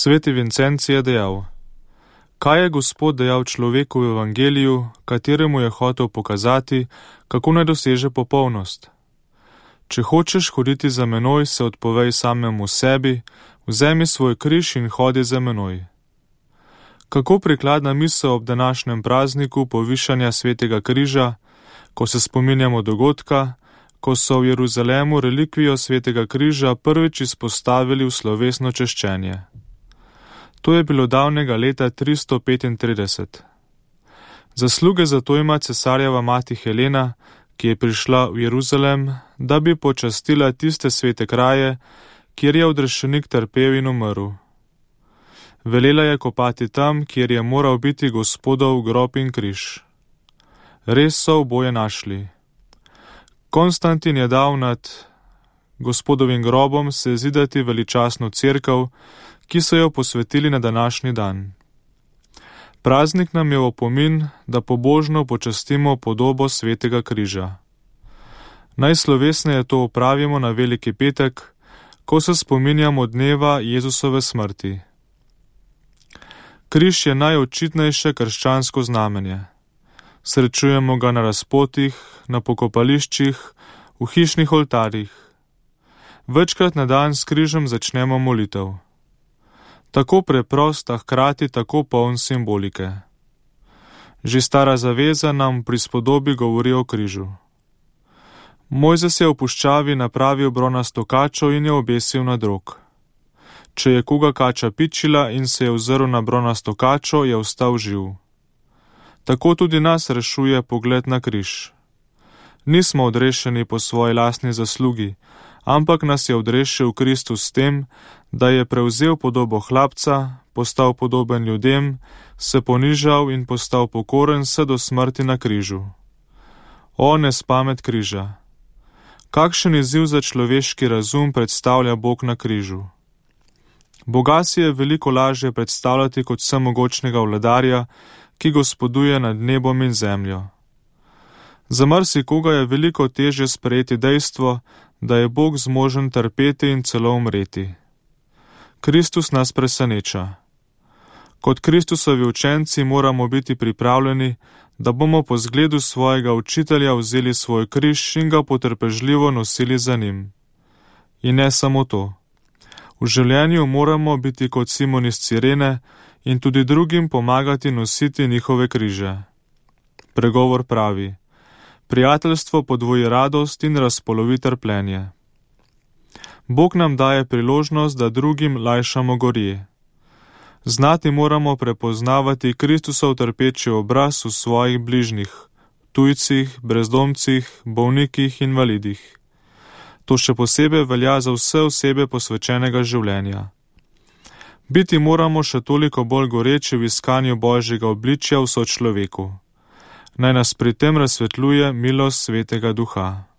Sveti Vincencij je dejal: kaj je Gospod dejal človeku v evangeliju, kateremu je hotel pokazati, kako naj doseže popolnost? Če hočeš hoditi za menoj, se odpovej samemu sebi, vzemi svoj križ in hodi za menoj. Kako prikladna misel ob današnjem prazniku povišanja svetega križa, ko se spominjamo dogodka, ko so v Jeruzalemu relikvijo svetega križa prvič izpostavili v slovesno češčenje. To je bilo davnega leta 335. Zasluge za to ima cesarjeva mati Helena, ki je prišla v Jeruzalem, da bi počastila tiste svete kraje, kjer je odrešenik trpel in umrl. Velela je kopati tam, kjer je moral biti Gospodov grob in križ. Res so oboje našli. Konstantin je dal nad Gospodovim grobom sezidati veličastno cerkev, ki so jo posvetili na današnji dan. Praznik nam je v opomin, da pobožno počastimo podobo svetega križa. Najslovesneje to opravimo na Veliki petek, ko se spominjamo dneva Jezusove smrti. Križ je najočitnejše krščansko znamenje. Srečujemo ga na razpotih, na pokopališčih, v hišnih oltarjih. Večkrat na dan s križem začnemo molitev. Tako preprost, a hkrati tako poln simbolike. Že stara zaveza nam pri spodobi govori o križu. Mojzes je v puščavi napravil bronasto kačo in jo obesil na drog. Če je koga kača pičila in se je ozrl na bronasto kačo, je ostal živ. Tako tudi nas rešuje pogled na križ. Nismo odrešeni po svoji lastni zaslugi, ampak nas je odrešil Kristus s tem, da je prevzel podobo hlapca, postal podoben ljudem, se ponižal in postal pokoren vse do smrti na križu. O nespamet križa! Kakšen izziv za človeški razum predstavlja Bog na križu? Boga si je veliko lažje predstavljati kot vsemogočnega vladarja, ki gospoduje nad nebom in zemljo. Za marsikoga je veliko težje sprejeti dejstvo, da je Bog zmožen trpeti in celo umreti. Kristus nas preseneča. Kot Kristusovi učenci moramo biti pripravljeni, da bomo po zgledu svojega učitelja vzeli svoj križ in ga potrpežljivo nosili za njim. In ne samo to. V življenju moramo biti kot Simon iz Cirene in tudi drugim pomagati nositi njihove križe. Pregovor pravi: prijateljstvo podvoji radost in razpolovi trpljenje. Bog nam daje priložnost, da drugim lajšamo gorje. Znati moramo prepoznavati Kristusov trpeči obraz v svojih bližnjih, tujcih, brezdomcih, bolnikih, invalidih. To še posebej velja za vse osebe posvečenega življenja. Biti moramo še toliko bolj goreči v iskanju Božjega obličja v sočloveku. Naj nas pri tem razsvetljuje milost Svetega Duha.